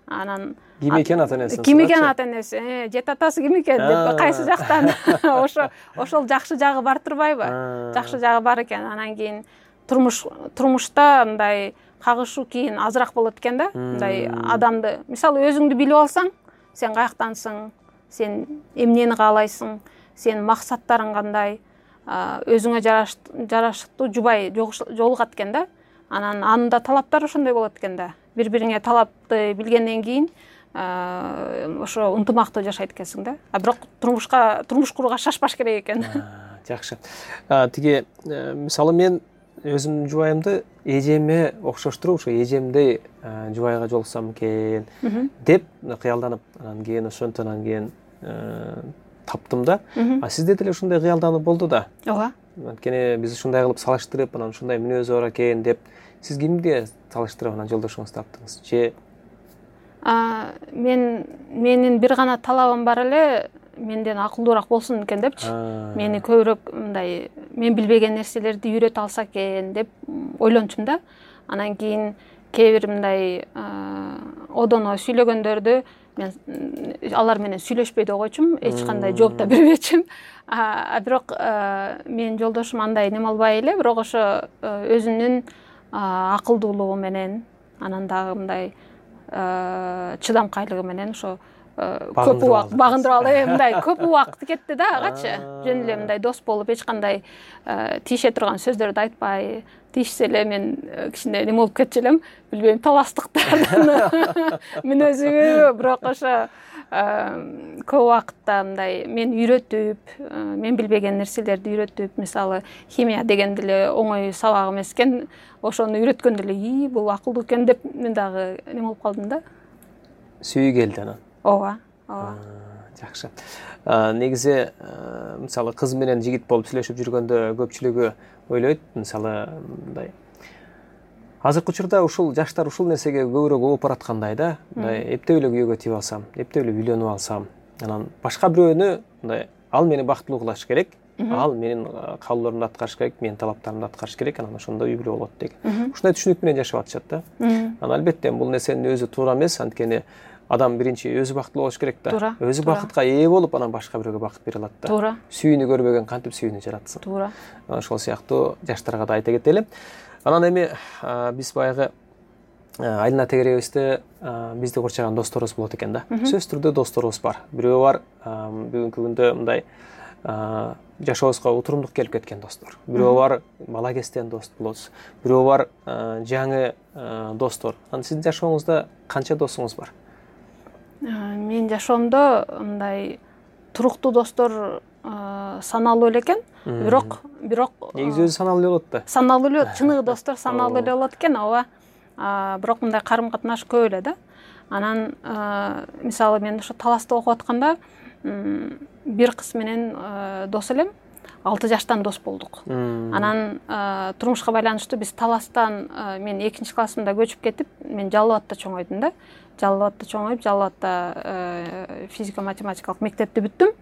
Анан ким экен ата-энеси? Жет атасы ким экен деп, кайсы жактан? Ошол жакшы жагы бар турбайбы? Жакшы жагы бар экен. Анан кийин турмушта мындай кагышуу кийин азыраак болот экен да. Мындай адамды, мисалы өзүңдү билип алсаң, сен каяктансың, сен эмнени каалайсың, сенин максаттарың кандай, өзүңө жараштуу жубай жолугат экен да. Анан анын да талаптары ошондой болот экен да. Бири-бириңе талапты билгенден кийин ошо ынтымактуу жашайт экенсиң да. Бирок турмуш курууга шашпаш керек экен. Жакшы. Тиги мисалы мен өзүмдүн жубайымды эжеме окшоштуруп, ошо эжемдей жубайга жолуксам экен деп кыялданып, анан кийин ошонтон кийин таптым да. Сизде деле ушундай кыялдануу болду да. Ооба. Анткени биз ушундай кылып салыштырып, анан ушундай мүнөзү бар экен деп, сиз кимге салыштырып анан жолдошуңузду таптыңыз? Же менин бир гана талабым бар эле, менден акылдуураак болсун экен депчи. Мени көбүрөөк мындай мен билбеген нерселерди үйрөтө алса экен деп ойлончумун да. Анан кийин кээ бир мындай одоно сүйлөгөндөрдү мен алар менен сүйлөшпөй да койчумун, эч кандай жооп да бербечүмүн. Бирок менин жолдошум андай неме албай эле, бирок ошо өзүнүн акылдуулугу менен, анан дагы мындай чыдамкайлыгы менен ошо көп убакыт багындырып алды. Мындай көп убакыт кетти да агачы. Жөн эле мындай дос болуп эч кандай тийише турган сөздөрдү айтпай, тийишсе эле мен кичине неме болуп кетчү элем, билбейм, таластыктардын мүнөзүбү, бирок ошо көп убакытта мындай мен үйрөтүп, мен билбеген нерселерди үйрөтүп, мисалы химия деген деле оңой сабак эмес экен, ошону үйрөткөндө эле бул акылдуу экен деп мен дагы неме болуп калдым да. Сүйүү келди анан. Ооба. Жакшы. Негизи мисалы кыз менен жигит болуп сүйлөшүп жүргөндө көпчүлүгү ойлойт, мисалы мындай азыркы учурда ушул жаштар ушул нерсеге көбүрөөк ооп бараткандай да, мындай эптеп эле күйөөгө тийип алсам, эптеп эле үйлөнүп алсам, анан башка бирөөнү мындай ал мени бактылуу кылыш керек, ал менин каалоолорумду аткарыш керек, менин талаптарымды аткарыш керек, анан ошондо үй бүлө болот деген. Ушундай түшүнүк менен жашап атышат да. Анан албетте бул нерсенин өзү туура эмес, анткени адам биринчи өзү бактылуу болуш керек да. Өзү бакытка ээ болуп, анан башка бирөөгө бакыт бере алат да. Туура. Сүйүүнү көрбөгөн кантип сүйүүнү жаратсын. Туура. Ошол сыяктуу жаштарга да айта кетели. Анан эми биз баягы Айлина тегеребизде бизди курчаган досторубуз болот экен да. Сөзсүз түрдө досторубуз бар. Бирөө бар бүгүнкү күндө мындай жашообузга утурумдук келип кеткен достор. Бирөө бар бала кезден дос болосуз. Бирөө бар жаңы достор. Анан сиздин жашооңузда канча досуңуз бар? Мен жашоомдо мындай туруктуу достор саналуу эле экен. Бирок негизи өзү саналуу эле болот да. Саналуу эле, чыныгы достор саналуу эле болот экен, ооба. Бирок мындай карым-катнаш көп эле да. Анан мисалы мен ошо Таласта окуп атканда бир кыз менен дос элем, 6 жаштан дос болдук. Анан турмушка байланыштуу биз Таластан мен 2 классымда көчүп кетип, мен Жалал абадта чоңойдум да. Жалал абадта чоңоюп, Жалал абадта физика-математикалык мектепти бүттүм.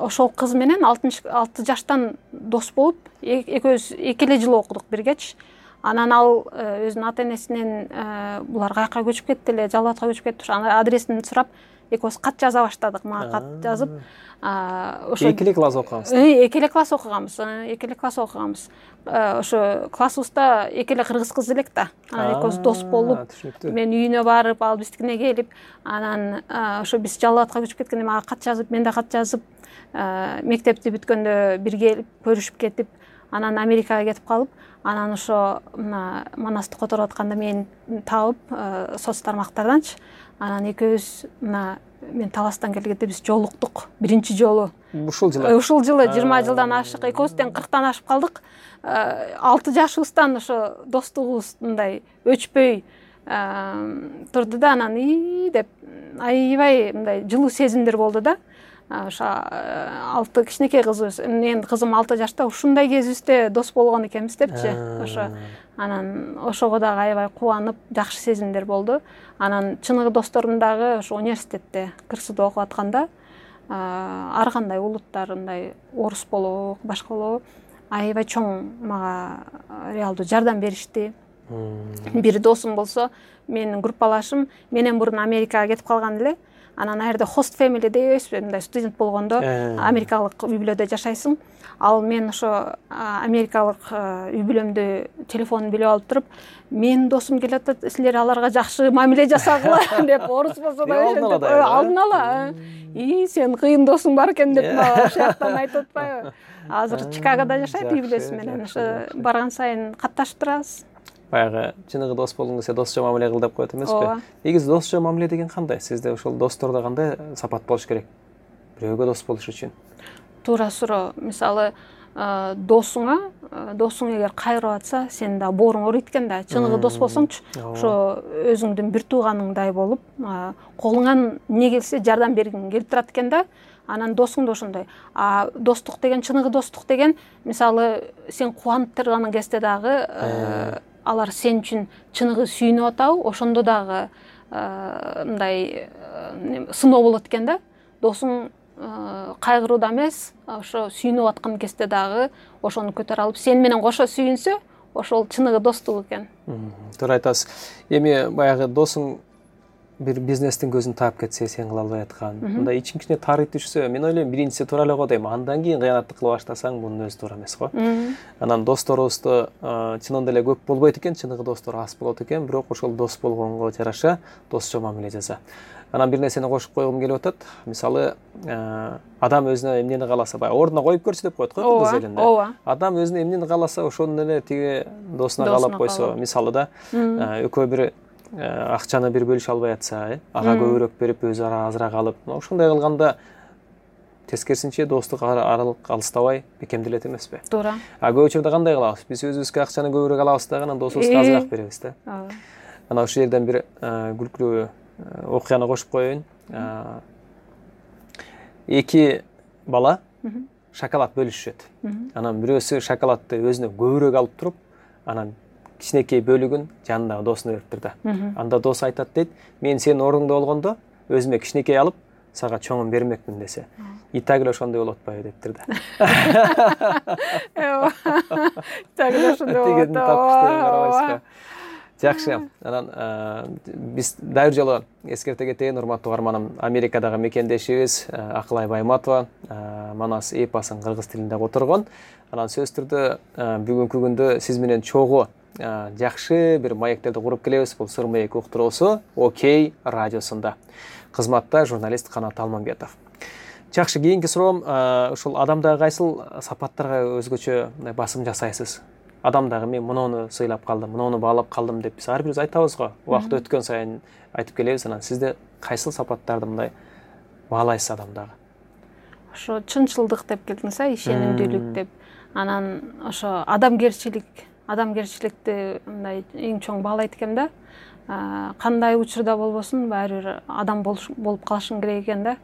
Ошол кыз менен 6 жаштан дос болуп, экөөбүз 2 эле жыл окудук биргечи. Анан ал өзүнүн ата-энесинен булар каяка көчүп кетти эле, Жалал абадка көчүп кетти. Анын адресин сурап, экөөбүз кат жаза баштадык. Мага кат жазып, ошо 2 класс окуганбыз. 2 класс окуганбыз. 2 класс окуганбыз. Ошо классыбызда 2 кыргыз кыз элек да. Анан экөөбүз дос болуп, мен үйүнө барып, ал биздикине келип, анан ошо биз Жалал абадка көчүп кеткенде мага кат жазып, мен да кат жазып, мектепти бүткөндө бирге көрүшүп кетип, анан Америкага кетип калып, анан ошо мына Манасты которуп атканда мени таап соц тармактарданчы. Анан экөөбүз мына мен Таластан келгенде биз жолуктук биринчи жолу. Ушул жылы 20 жылдан ашык, экөөбүздөн 40тан ашып калдык. 6 жашыбыздан ошо достугубуз мындай өчпөй турду да, анан деп аябай мындай жылуу сезимдер болду да. Ошо 6 кичинекей кызыбыз, менин кызым 6 жашта, ушундай кезибизде дос болгон экенбиз депчи. Ошо анан ошого дагы аябай кубанып, жакшы сезимдер болду. Анан чыныгы досторум дагы ошо университетте КырСУда окуп атканда ар кандай улуттар, мындай орус болобу, башка болобу, аябай чоң мага реалдуу жардам беришти. Бир досум болсо, менин группалашым менен мурун Америкага кетип калган эле. Анан жерде хост family дейбизби, мындай студент болгондо америкалык үй бүлөдө жашайсың. Ал мен ошо америкалык үй бүлөмдү телефонун билип алып туруп, менин досум келип атат, силер аларга жакшы мамиле жасагыла деп, орус болсо да ошентип алдын ала. Сен кыйын досуң бар экен деп ошол жактан айтып атпайбы? Азыр Чикагода жашайт үй бүлөсү менен, ошо барган сайын катташып турабыз. Баягы чыныгы дос болгон кезде досчо мамиле кыл деп коет эмеспи? Негизи досчо мамиле деген кандай? Сизде ошол достордо кандай сапат болуш керек? Бирөөгө дос болуш үчүн. Туура суроо. Мисалы, досуң эгер кайрып атса, сен да бооруң ооруйт экен да. Чыныгы дос болсоңчу, ошо өзүңдүн бир тууганыңдай болуп, колуңан эмне келсе жардам бергиң келип турат экен да. Анан досуң да ошондой. Достук деген, чыныгы достук деген, мисалы, сен кубанып турган кезде дагы алар сен үчүн чыныгы сүйүнүп атабы, ошондо дагы мындай сыноо болот экен да. Досуң кайгырууда эмес, ошо сүйүнүп аткан кезде дагы ошону көтөрө алып, сен менен кошо сүйүнсө, ошол чыныгы достук экен. Туура айтасыз. Эми баягы досуң бир бизнестин көзүн таап кетсе сен кыла албай аткан мындай ичин кичине таарый түшсө мен ойлойм биринчиси туура эле го дейм, андан кийин кыянаттык кыла баштасаң бунун өзү туура эмес го. Анан досторубузду чынында эле көп болбойт экен, чыныгы достор аз болот экен, бирок ошол дос болгонго жараша досчо мамиле жаса. Анан бир нерсени кошуп койгум келип атат. Мисалы, адам өзүнө эмнени кааласа, баягы ордуна коюп көрчү деп коет го кыз элинде. Адам өзүнө эмнени кааласа, ошону эле тиги досуна каалап койсо, мисалы да, экөө бир акчаны бир бөлүшө албай атса, ага көбүрөөк берип, өзү ара азыраак алып, ошондой кылганда тескерисинче достук аралык алыстабай бекемделет эмеспи? Туура. Көп учурда кандай кылабыз? Биз өзүбүзгө акчаны көбүрөөк алабыз дагы, анан досубузга азыраак беребиз да. Анан ошол жерден бир күлкүлүү окуяны кошуп коеюн. Эки бала шоколад бөлүшүшөт. Анан бирөөсү шоколадты өзүнө көбүрөөк алып туруп, анан кичинекей бөлүгүн жанындагы досуна бериптир да. Анда досу айтат дейт, мен сенин ордуңда болгондо өзүмө кичинекей алып, сага чоңун бермекмин десе. И так эле ошондой болот атпайбы дептир да. Так эле ошондой болот. Жакшы. Анан биз дайыр жолу эскерте кетейин, урматтуу угарманым. Америкадагы мекендешибиз Акылай Байматова Манас эпосун кыргыз тилинде которгон. Анан сөзсүз түрдө бүгүнкү күндө сиз менен чогуу жакшы бир маектерди куруп келебиз. Бул Сыр маек уктуруусу Окей радиосунда. Кызматта журналист Канат Алмамбетов. Жакшы, кийинки суроом, ушул адамдагы кайсыл сапаттарга өзгөчө басым жасайсыз? Адамдагы мен муну сыйлап калдым, муну баалап калдым деп биз ар бирибиз айтабыз го. Убакыт өткөн сайын айтып келебиз. Анан сизде кайсыл сапаттарды мындай баалайсыз адамдагы? Ошо чынчылдык деп келдиңиз, ишенимдүүлүк деп. Анан ошо адамгерчиликти мындай эң чоң баалайт экем да. Кандай учурда болбосун, баары бир адам болуп калышың керек экен да.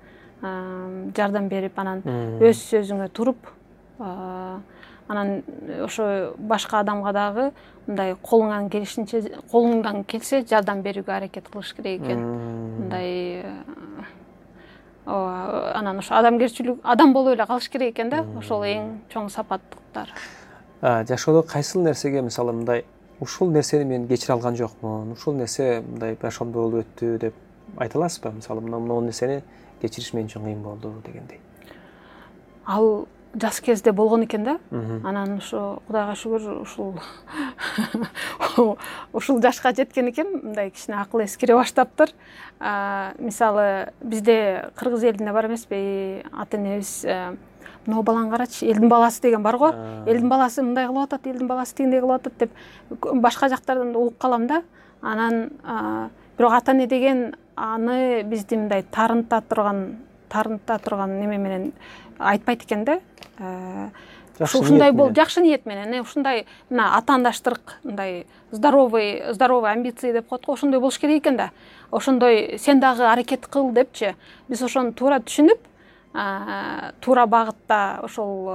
Жардам берип, анан өз сөзүңө туруп, анан ошо башка адамга дагы мындай колуңдан келсе жардам берүүгө аракет кылыш керек экен. Мындай анан ошо адамгерчилик, адам болуп эле калыш керек экен да. Ошол эң чоң сапаттыктар. Жашоодо кайсыл нерсеге, мисалы, мындай ушул нерсени мен кечире алган жокмун, ушул нерсе мындай ошондой болуп өттү деп айта аласызбы? Мисалы, мына нерсени кечириш мен үчүн кыйын болду дегендей. Ал жас кезде болгон экен да. Анан ошо Кудайга шүгүр ушул жашка жеткен экен, мындай кичине акыл эскире баштаптыр. Мисалы, бизде кыргыз элинде бар эмеспи, ата-энебиз мына баланы карачы, элдин баласы деген бар го. Элдин баласы мындай кылып атат, элдин баласы тигиндей кылып атат деп башка жактардан да угуп калам да. Анан бирок ата-эне деген аны бизди мындай тарынта турган неме менен айтпайт экен да. Ушундай бол жакшы ниет менен, ушундай мына атаандаштырык, мындай здоровый амбиции деп коет го, ошондой болуш керек экен да. Ошондой сен дагы аракет кыл депчи. Биз ошону туура түшүнүп, туура багытта ошол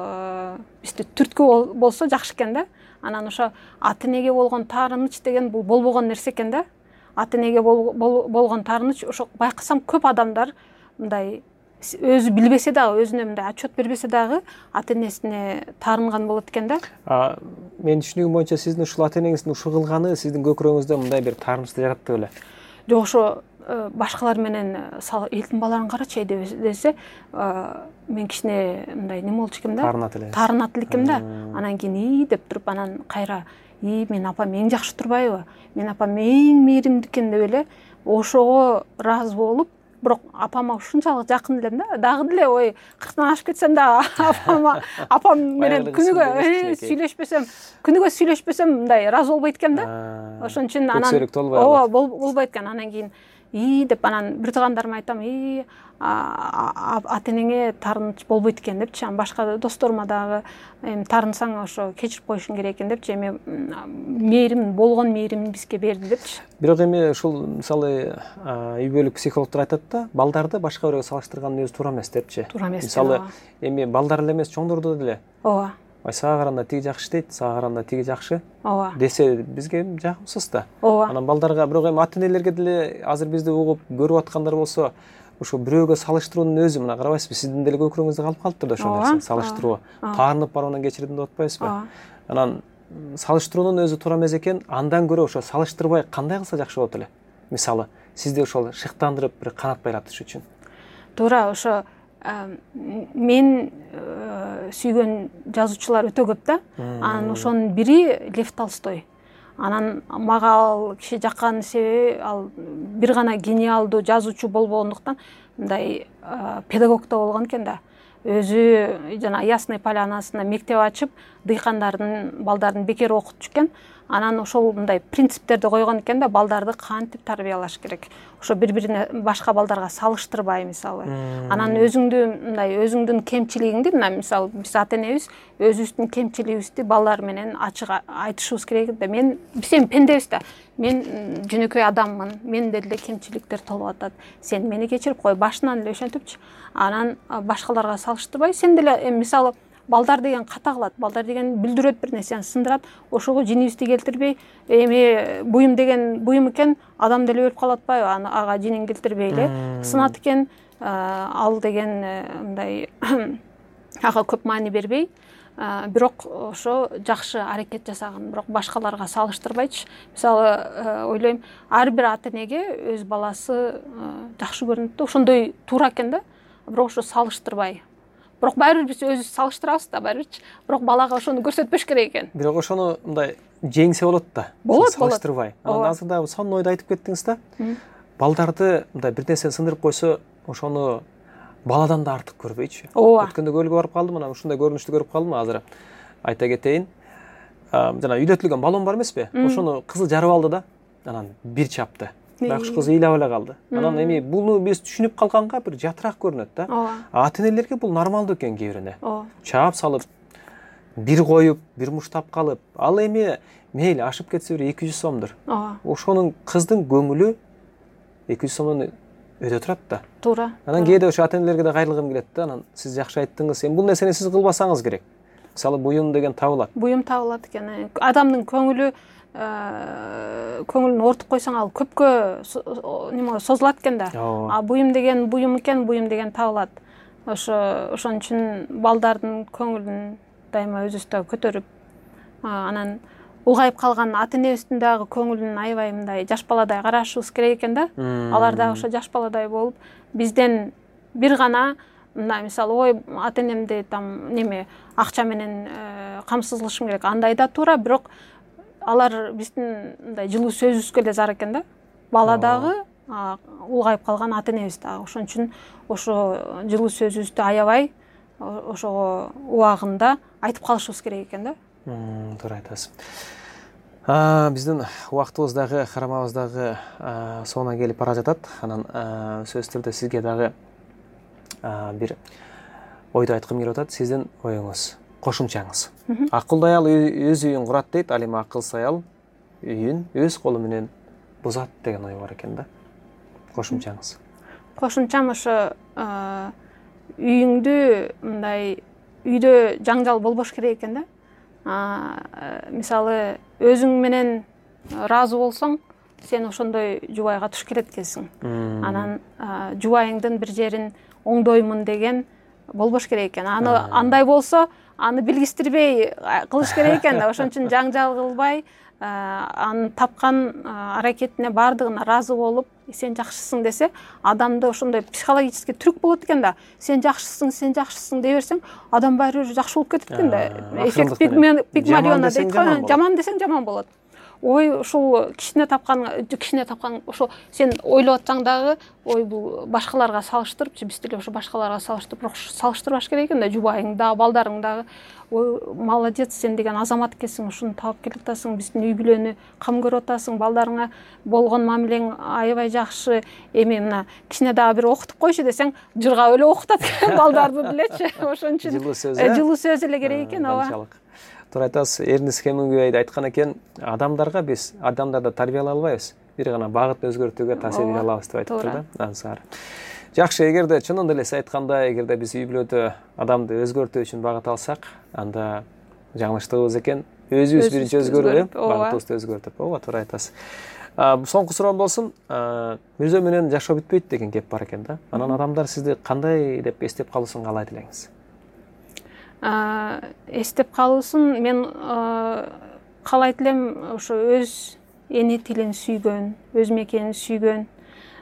бизди түрткү болсо жакшы экен да. Анан ошо ата-энеге болгон таарыныч деген бул болбогон нерсе экен да. Ата-энеге болгон таарыныч, ошо байкасам көп адамдар мындай өзү билбесе дагы, өзүнө мындай отчет бербесе дагы ата-энесине таарынган болот экен да. Мен түшүнүгүм боюнча сиздин ушул ата-энеңиздин ушул кылганы сиздин көкүрөгүңүздө мындай бир таарынычты жаратты беле? Жок, ошо башкалар менен элдин баларын карачы десе, мен кичине мындай неме болчу экем да. Таарынат элекем да. Анан кийин деп туруп, анан кайра мен апам эң жакшы турбайбы? Мен апам эң мээримдүү экен деп эле ошого ыраазы болуп, бирок апама ушунчалык жакын элем да. Дагы деле ой 40-тан ашып кетсем да апам менен күнүгө сүйлөшпөсөм мындай ыраазы болбойт экем да. Ошон үчүн анан болбойт экен. Анан кийин деп анан бир туугандарыма айтам, ата-энеңе таарыныч болбойт экен депчи. Анан башка досторума дагы таарынсаң ошо кечирип коюшуң керек экен депчи. Эми болгон мээримин бизге берди депчи. Бирок эми ушул мисалы үй бүлөлүк психологдор айтат да, балдарды башка бирөөгө салыштырган өзү туура эмес депчи. Туура эмес. Мисалы, эми балдар эле эмес, чоңдордо деле. Ооба. Сага караганда тиги жакшы дейт, сага караганда тиги жакшы. Ооба. Десе бизге жакымсыз да. Ооба. Анан балдарга, бирок эми ата-энелерге деле азыр бизди угуп көрүп аткандар болсо, ошо бирөөгө салыштыруунун өзү, мына карабайсызбы, сиздин деле көкүрөгүңүздө калып калыптыр да ошол нерсе, салыштыруу. Таарынып баруудан кечирдим деп атпайсызбы? Анан салыштыруунун өзү туура эмес экен, андан көрө ошо салыштырбай кандай кылса жакшы болот эле? Мисалы, сизди ошол шыктандырып бир канат байлатыш үчүн? Туура, ошо мен сүйгөн жазуучулар өтө көп да. Анан ошонун бири Лев Толстой. Анан мага ал киши жаккан себеби ал бир гана гениалдуу жазуучу болбогондуктан мындай педагог да болгон экен да. Өзү жана Ясный Полянасына мектеп ачып, дыйкандардын балдарын бекер окутчу экен. Анан ошол мындай принциптерди койгон экен да, балдарды кантип тарбиялаш керек. Ошо бири-бирине башка балдарга салыштырбай, мисалы. Анан өзүңдүн кемчилигиңди, мисалы биз ата-энебиз өзүбүздүн кемчилигибизди балдар менен ачык айтышыбыз керек да. Биз эми пендебиз да. Мен жөнөкөй адаммын. Менде деле кемчиликтер толуп атат. Сен мени кечирип кой, башынан эле ошентипчи. Анан башкаларга салыштырбай, сен деле мисалы балдар деген ката кылат, балдар деген билдирет, бир нерсени сындырат. Ошого жинибизди келтирбей, эми буюм деген буюм экен, адам деле өлүп калып атпайбы? Ага жинин келтирбей эле сынат экен, ал деген мындай ага көп маани бербей, бирок ошо жакшы аракет жасаган, бирок башкаларга салыштырбайчы. Мисалы ойлойм, ар бир ата-энеге өз баласы жакшы көрүнөт да, ошондой туура экен да. Бирок ошо салыштырбай. Бирок баары бир биз өзүбүз салыштырабыз да, баарыбирчи. Бирок балага ошону көрсөтпөш керек экен. Бирок ошону мындай жеңсе болот да. Болот. Салыштырбай. Анан азыр дагы сонун ойду айтып кеттиңиз да. Балдарды мындай бир нерсени сындырып койсо, ошону баладан да артык көрбөйчү. Өткөндө көлгө барып калдым, анан ушундай көрүнүштү көрүп калдым. Азыр айта кетейин. Жана үйдөтүлгөн баллон бар эмеспи? Ошону кызы жарып алды да. Анан бир чапты. Бакшы кызы ыйлап эле калды. Анан эми буну биз түшүнүп калганга бир жатыраак көрүнөт да. Ата-энелерге бул нормалдуу экен кээ бирине. Чаап салып, бир коюп, бир муштап калып, ал эми мейли ашып кетсе бир 200 сомдур. Ошонун кыздын көңүлү 200 сомдон өтө турат да. Туура. Анан кээде ошо ата-энелерге да кайрылгым келет да. Анан сиз жакшы айттыңыз. Эми бул нерсени сиз кылбасаңыз керек. Мисалы буюм деген табылат. Буюм табылат экен. Адамдын көңүлүн ортуп койсоң, ал көпкө созулат экен да. Буюм деген буюм экен, буюм деген табылат. Ошон үчүн балдардын көңүлүн дайыма өзүбүз көтөрүп, анан улгайып калган ата-энебиздин дагы көңүлүн аябай мындай жаш баладай карашыбыз керек экен да. Алар дагы ошо жаш баладай болуп, бизден бир гана мындай мисалы, ой, ата-энемди акча менен камсыз кылышым керек. Андай да туура, бирок алар биздин мындай жылуу сөзүбүзгө эле зар экен да. Бала дагы, улгайып калган ата-энебиз дагы. Ошон үчүн ошо жылуу сөзүбүздү аябай ошого убагында айтып калышыбыз керек экен да. Туура айтасыз. Биздин убактыбыз дагы, карамабыз дагы соңуна келип бара жатат. Анан сөзсүз түрдө сизге дагы бир ойду айткым келип атат. Сиздин оюңуз, кошумчаңыз. Акылдуу аял өз үйүн курат дейт, ал эми акылсыз аял үйүн өз колу менен бузат деген ой бар экен да. Кошумчаңыз. Кошумчам ошо үйүңдү мындай үйдө жаңжал болбош керек экен да. Мисалы өзүң менен ыраазы болсоң, сен ошондой жубайга туш келет экенсиң. Анан жубайыңдын бир жерин оңдоймун деген болбош керек экен. Андай болсо, аны билгистирбей кылыш керек экен да. Ошон үчүн жаңжал кылбай, анын тапкан аракетине бардыгына ыраазы болуп, сен жакшысың десе, адамда ошондой психологический трюк болот экен да. Сен жакшысың дей берсең, адам баары жакшы болуп кетет экен да. Эффект Пигмалиона дейт го, жаман десең жаман болот. Ой, ушул кичине тапкан ошо сен ойлоп атсаң дагы, ой, бул башкаларга салыштырып, биз деле ошо башкаларга салыштырып, салыштырбаш керек экен да, жубайың дагы, балдарың дагы. Ой, молодец, сен деген азамат экенсиң, ушуну таап келип атасың, биздин үй бүлөнү кам көрүп атасың, балдарыңа болгон мамилең аябай жакшы. Эми мына кичине дагы бир окутуп койчу десең, жыргап эле окутат балдарды делечи. Ошон үчүн жылуу сөз эле керек экен, ооба. Туура айтасыз. Эрнест Хемингуэй айткан экен, адамдарды тарбиялай албайбыз, бир гана багыт өзгөртүүгө таасир бере алабыз деп айтыптыр да. Ансар. Жакшы, эгерде чынында эле сиз айткандай, эгерде биз үй бүлөдө адамды өзгөртүү үчүн багыт алсак, анда жаңылыштыгыбыз экен. Өзүбүз биринчи өзгөрүп, багытыбызды өзгөртүп. Ооба, туура айтасыз. Соңку суроом болсун. Мирзө менен жашоо бүтпөйт деген кеп бар экен да. Анан адамдар сизди кандай деп эстеп калуусун каалайт элеңиз? Эстеп калуусун мен каалайт элем, ошо өз эне тилин сүйгөн, өз мекенин сүйгөн,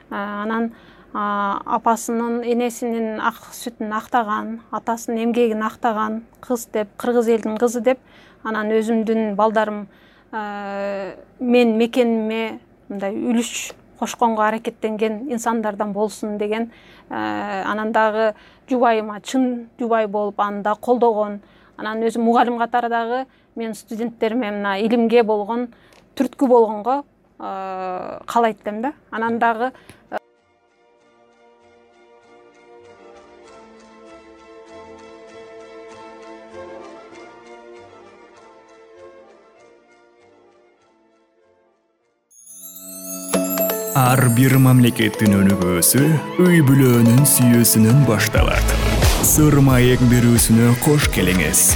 Анан апасынын, энесинин ак сүтүн актаган, атасынын эмгегин актаган кыз деп, кыргыз элинин кызы деп, анан өзүмдүн балдарым мен мекениме мындай үлүш кошконго аракеттенген инсандардан болсун деген, анан дагы жубайыма чын жубай болуп аны да колдогон, анан өзүм мугалим катары дагы мен студенттериме мына илимге болгон түрткү болгонго каалайт элем да. Анан дагы Ар бир мамлекеттин өнүгүүсү үй бүлөнүн сүйүүсүнөн башталат. Сыр маек берүүсүнө кош келиңиз.